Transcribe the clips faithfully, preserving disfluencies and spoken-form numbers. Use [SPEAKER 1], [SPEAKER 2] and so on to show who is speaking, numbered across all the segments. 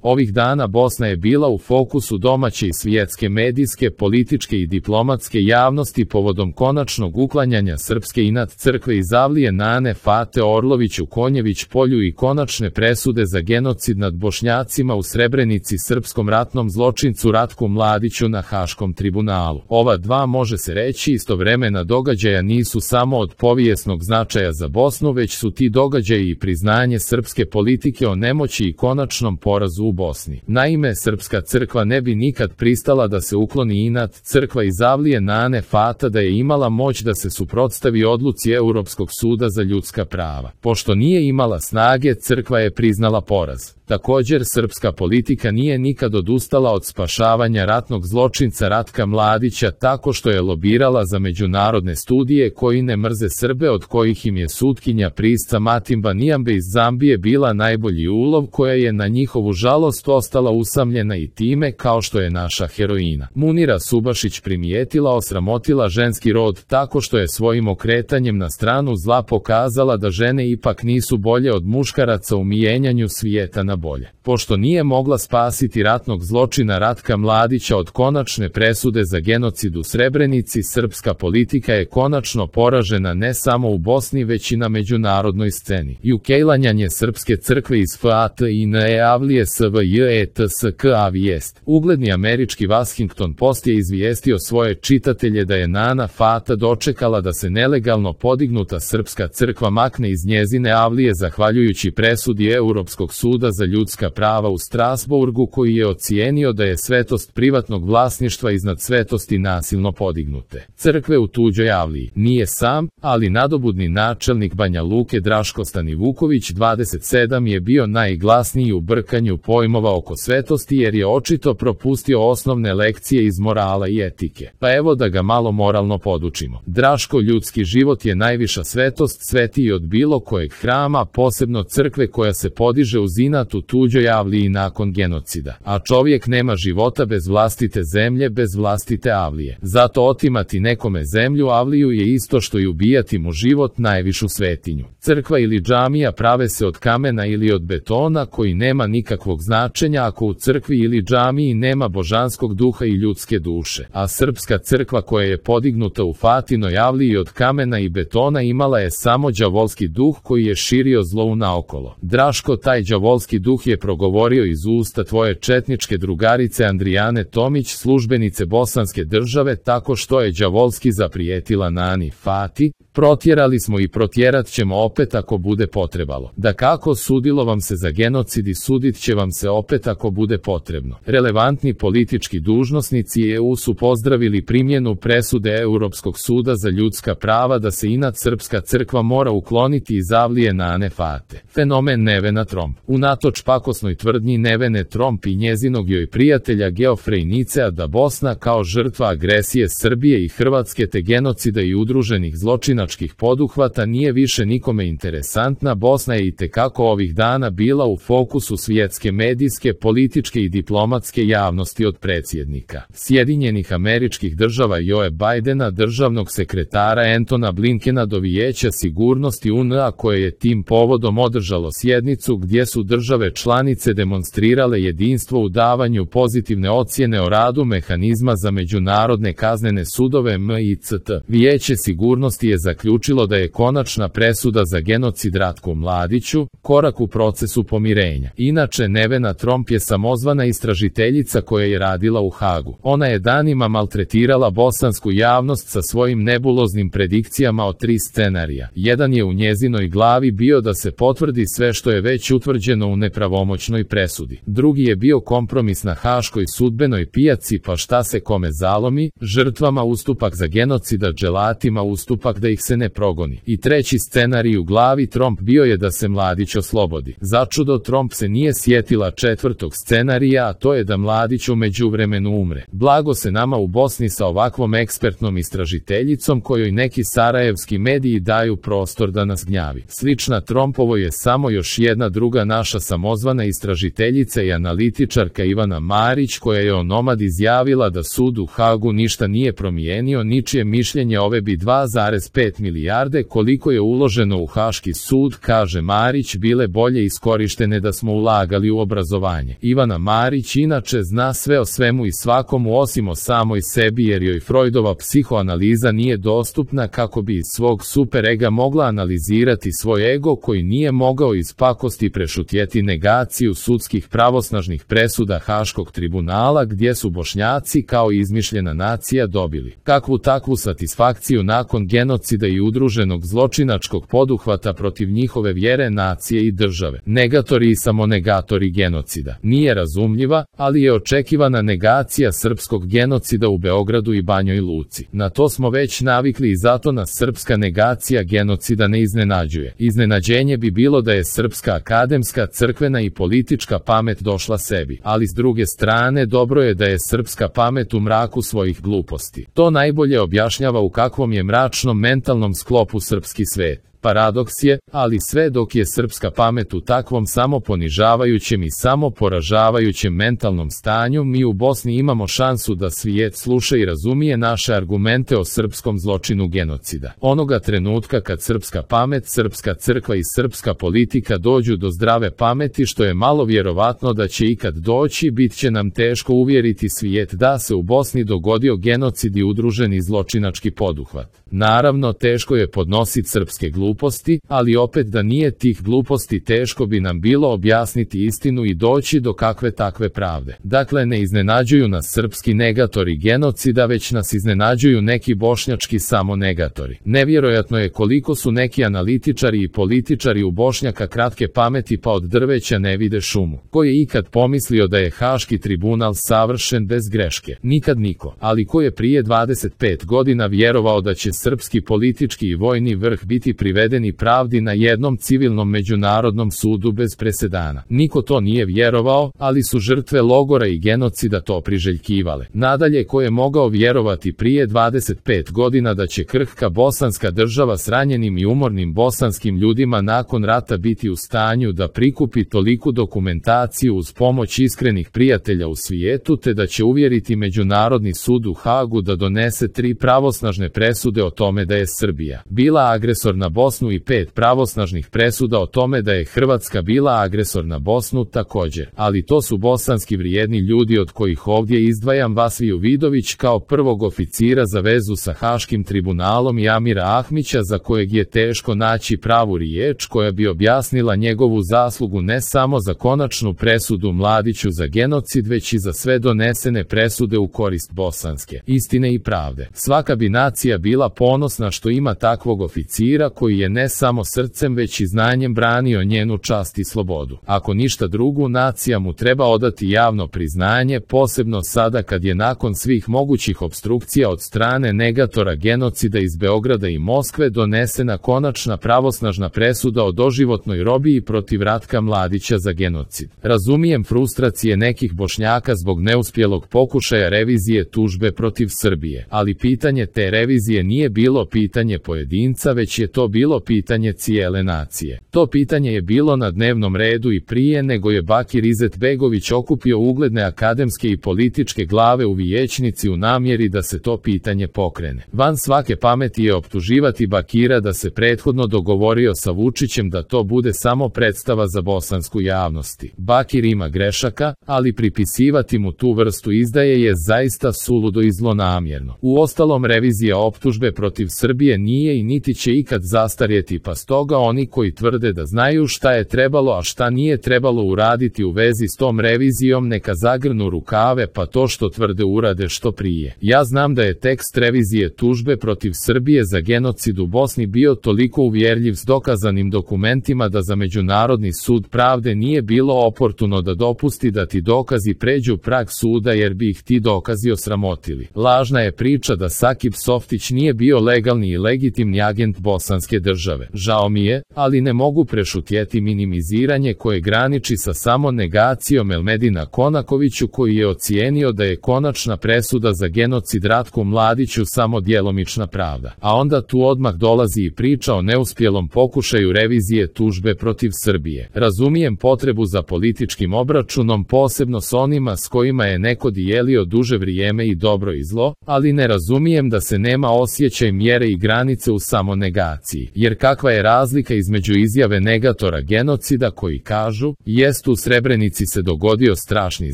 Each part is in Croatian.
[SPEAKER 1] Ovih dana Bosna je bila u fokusu domaće i svjetske medijske, političke i diplomatske javnosti povodom konačnog uklanjanja srpske inat crkve iz avlije Nane Fate Orlović u Konjević polju i konačne presude za genocid nad Bošnjacima u Srebrenici srpskom ratnom zločincu Ratku Mladiću na Haškom tribunalu. Ova dva, može se reći, istovremena događaja nisu samo od povijesnog značaja za Bosnu, već su ti događaji i priznanje srpske politike o nemoći i konačnom porazu u Bosni. Naime, srpska crkva ne bi nikad pristala da se ukloni inat crkva iz avlije Nane Fata da je imala moć da se suprotstavi odluci Europskog suda za ljudska prava. Pošto nije imala snage, crkva je priznala poraz. Također, srpska politika nije nikad odustala od spašavanja ratnog zločinca Ratka Mladića tako što je lobirala za međunarodne studije koji ne mrze Srbe, od kojih im je sutkinja Prisca Matimba Nijambe iz Zambije bila najbolji ulov, koja je na njihovu žalost ostala usamljena i time, kao što je naša heroina Munira Subašić primijetila, osramotila ženski rod tako što je svojim okretanjem na stranu zla pokazala da žene ipak nisu bolje od muškaraca u mijenjanju svijeta na bolje. Pošto nije mogla spasiti ratnog zločina Ratka Mladića od konačne presude za genocid u Srebrenici, srpska politika je konačno poražena ne samo u Bosni već i na međunarodnoj sceni. I ukejlanjanje srpske crkve iz Fatin e avlije svjetska vijest. Ugledni američki Washington Post je izvijestio svoje čitatelje da je Nana Fata dočekala da se nelegalno podignuta srpska crkva makne iz njezine avlije zahvaljujući presudi Europskog suda za ljudska prava u Strasburgu, koji je ocijenio da je svetost privatnog vlasništva iznad svetosti nasilno podignute crkve u tuđoj avliji. Nije sam, ali nadobudni načelnik Banja Luke Draško Stanivuković dvadeset sedam je bio najglasniji u brkanju pojmova oko svetosti jer je očito propustio osnovne lekcije iz morala i etike. Pa evo da ga malo moralno podučimo. Draško, ljudski život je najviša svetost, svetiji od bilo kojeg hrama, posebno crkve koja se podiže uz inat u tuđoj avliji nakon genocida. A čovjek nema života bez vlastite zemlje, bez vlastite avlije. Zato otimati nekome zemlju, avliju, je isto što i ubijati mu život, najvišu svetinju. Crkva ili džamija prave se od kamena ili od betona koji nema nikakvog značenja ako u crkvi ili džamiji nema božanskog duha i ljudske duše. A srpska crkva koja je podignuta u Fatinoj avliji od kamena i betona imala je samo đavolski duh koji je širio zlo unaokolo. Draško, taj đavolski duh je progovorio iz usta tvoje četničke drugarice Andrijane Tomić, službenice bosanske države, tako što je đavolski zaprijetila Nani Fati: protjerali smo i protjerat ćemo opet ako bude potrebalo. Da kako, sudilo vam se za genocid i sudit će vam se opet ako bude potrebno. Relevantni politički dužnosnici E U su pozdravili primjenu presude Europskog suda za ljudska prava da se inat srpska crkva mora ukloniti iz avlije Nane Fate. Fenomen Nevena Tromp. Unatoč pakosnoj tvrdnji Nevene Tromp i njezinog joj prijatelja Geofrey Nicea da Bosna kao žrtva agresije Srbije i Hrvatske te genocida i udruženih zločinačkih poduhvata nije više nikome interesantna, Bosna je itekako ovih dana bila u fokusu svjetske medijske, političke i diplomatske javnosti od predsjednika Sjedinjenih Američkih Država Joe Bidena, državnog sekretara Antona Blinkena do Vijeća sigurnosti U N A koje je tim povodom održalo sjednicu gdje su države članice demonstrirale jedinstvo u davanju pozitivne ocjene o radu mehanizma za međunarodne kaznene sudove M I C T. Vijeće sigurnosti je zaključilo da je konačna presuda za genocid Ratku Mladiću korak u procesu pomirenja. Inače, Nevena Tromp je samozvana istražiteljica koja je radila u Hagu. Ona je danima maltretirala bosansku javnost sa svojim nebuloznim predikcijama o tri scenarija. Jedan je u njezinoj glavi bio da se potvrdi sve što je već utvrđeno u nepravomoćnoj presudi. Drugi je bio kompromis na haškoj sudbenoj pijaci, pa šta se kome zalomi, žrtvama ustupak za genocida, dželatima ustupak da ih se ne progoni. I treći scenarij u glavi Tromp bio je da se Mladić oslobodi. Začudo, Tromp se nije sjetila četvrtog scenarija, a to je da Mladić u međuvremenu umre. Blago se nama u Bosni sa ovakvom ekspertnom istražiteljicom kojoj neki sarajevski mediji daju prostor da nas gnjavi. Slična Trompovo je samo još jedna druga naša samozvana istražiteljica i analitičarka Ivana Marić, koja je o Nomad izjavila da sud u Hagu ništa nije promijenio, ničije mišljenje ove bi dva zarez pet pet milijarde koliko je uloženo u Haški sud, kaže Marić, bile bolje iskorištene da smo ulagali u obrazovanje. Ivana Marić inače zna sve o svemu i svakomu osim o samoj sebi jer joj Freudova psihoanaliza nije dostupna kako bi iz svog super ega mogla analizirati svoj ego koji nije mogao iz pakosti prešutjeti negaciju sudskih pravosnažnih presuda Haškog tribunala gdje su Bošnjaci kao izmišljena nacija dobili kakvu takvu satisfakciju nakon genocida i udruženog zločinačkog poduhvata protiv njihove vjere, nacije i države. Negatori i samonegatori genocida. Nije razumljiva, ali je očekivana negacija srpskog genocida u Beogradu i Banjoj Luci. Na to smo već navikli i zato nas srpska negacija genocida ne iznenađuje. Iznenađenje bi bilo da je srpska akademska, crkvena i politička pamet došla sebi, ali s druge strane dobro je da je srpska pamet u mraku svojih gluposti. To najbolje objašnjava u kakvom je mračnom mentalnom sklopu srpski svet. Paradoks je, ali sve dok je srpska pamet u takvom samoponižavajućem i samoporažavajućem mentalnom stanju, mi u Bosni imamo šansu da svijet sluša i razumije naše argumente o srpskom zločinu genocida. Onoga trenutka kad srpska pamet, srpska crkva i srpska politika dođu do zdrave pameti, što je malo vjerovatno da će ikad doći, bit će nam teško uvjeriti svijet da se u Bosni dogodio genocid i udruženi zločinački poduhvat. Naravno, teško je podnositi srpske gluposti, ali opet da nije tih gluposti teško bi nam bilo objasniti istinu i doći do kakve takve pravde. Dakle, ne iznenađuju nas srpski negatori genocida, već nas iznenađuju neki bošnjački samonegatori. Nevjerojatno je koliko su neki analitičari i političari u Bošnjaka kratke pameti pa od drveća ne vide šumu. Ko je ikad pomislio da je Haški tribunal savršen bez greške? Nikad niko. Ali ko je prije dvadeset pet godina vjerovao da će srpski politički i vojni vrh biti privedeni pravdi na jednom civilnom međunarodnom sudu bez presedana? Niko to nije vjerovao, ali su žrtve logora i genocida to priželjkivale. Nadalje, ko je mogao vjerovati prije dvadeset pet godina da će krhka bosanska država s ranjenim i umornim bosanskim ljudima nakon rata biti u stanju da prikupi toliku dokumentaciju uz pomoć iskrenih prijatelja u svijetu, te da će uvjeriti Međunarodni sud u Hagu da donese tri pravosnažne presude o tome da je Srbija bila agresor na Bosnu i pet pravosnažnih presuda o tome da je Hrvatska bila agresor na Bosnu također. Ali to su bosanski vrijedni ljudi od kojih ovdje izdvajam Vasviju Vidović kao prvog oficira za vezu sa Haškim tribunalom i Amira Ahmića, za kojeg je teško naći pravu riječ koja bi objasnila njegovu zaslugu ne samo za konačnu presudu Mladiću za genocid, već i za sve donesene presude u korist bosanske istine i pravde. Svaka bi nacija bila ponosna što ima takvog oficira koji je ne samo srcem već i znanjem branio njenu čast i slobodu. Ako ništa drugo, nacija mu treba odati javno priznanje, posebno sada kad je nakon svih mogućih opstrukcija od strane negatora genocida iz Beograda i Moskve donesena konačna pravosnažna presuda o doživotnoj robiji protiv Ratka Mladića za genocid. Razumijem frustracije nekih Bošnjaka zbog neuspjelog pokušaja revizije tužbe protiv Srbije, ali pitanje te revizije nije bilo pitanje pojedinca, već je to bilo pitanje cijele nacije. To pitanje je bilo na dnevnom redu i prije nego je Bakir Izetbegović okupio ugledne akademske i političke glave u vijećnici u namjeri da se to pitanje pokrene. Van svake pameti je optuživati Bakira da se prethodno dogovorio sa Vučićem da to bude samo predstava za bosansku javnosti. Bakir ima grešaka, ali pripisivati mu tu vrstu izdaje je zaista suludo i zlonamjerno. Uostalom, revizija optužbe protiv Srbije nije i niti će ikad zastarjeti, pa stoga oni koji tvrde da znaju šta je trebalo a šta nije trebalo uraditi u vezi s tom revizijom neka zagrnu rukave pa to što tvrde urade što prije. Ja znam da je tekst revizije tužbe protiv Srbije za genocid u Bosni bio toliko uvjerljiv s dokazanim dokumentima da za Međunarodni sud pravde nije bilo oportuno da dopusti da ti dokazi pređu prag suda jer bi ih ti dokazi osramotili. Lažna je priča da Sakip Softić nije bio legalni i legitimni agent bosanske Hrvatske države. Žao mi je, ali ne mogu prešutjeti minimiziranje koje graniči sa samo negacijom Elmedina Konakoviću, koji je ocijenio da je konačna presuda za genocid Ratku Mladiću samo djelomična pravda. A onda tu odmah dolazi i priča o neuspjelom pokušaju revizije tužbe protiv Srbije. Razumijem potrebu za političkim obračunom, posebno s onima s kojima je neko dijelio duže vrijeme i dobro i zlo, ali ne razumijem da se nema osjećaj mjere i granice u samonegaciji. Jer kakva je razlika između izjave negatora genocida koji kažu, jest u Srebrenici se dogodio strašni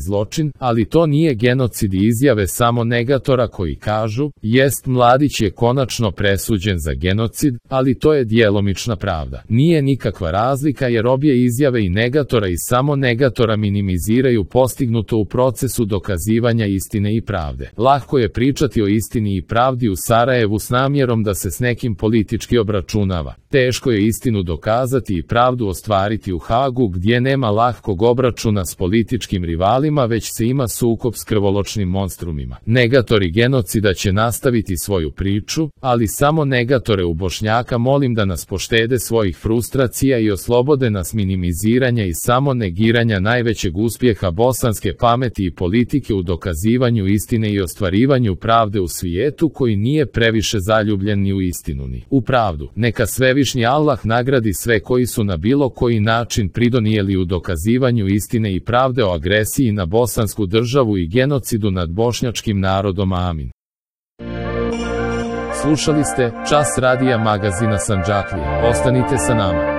[SPEAKER 1] zločin, ali to nije genocid, i izjave samo negatora koji kažu, jest Mladić je konačno presuđen za genocid, ali to je djelomična pravda. Nije nikakva razlika, jer obje izjave i negatora i samo negatora minimiziraju postignuto u procesu dokazivanja istine i pravde. Lahko je pričati o istini i pravdi u Sarajevu s namjerom da se s nekim politički obračunava. Teško je istinu dokazati i pravdu ostvariti u Hagu, gdje nema lahkog obračuna s političkim rivalima, već se ima sukob s krvoločnim monstrumima. Negatori genocida će nastaviti svoju priču, ali samo negatore u Bošnjaka molim da nas poštede svojih frustracija i oslobode nas minimiziranja i samo negiranja najvećeg uspjeha bosanske pameti i politike u dokazivanju istine i ostvarivanju pravde u svijetu koji nije previše zaljubljen ni u istinu ni u pravdu. Neka svevišnji Allah nagradi sve koji su na bilo koji način pridonijeli u dokazivanju istine i pravde o agresiji na bosansku državu i genocidu nad bošnjačkim narodom. Amin. Slušali ste Čas radija magazina Sandžaklija. Ostanite sa nama.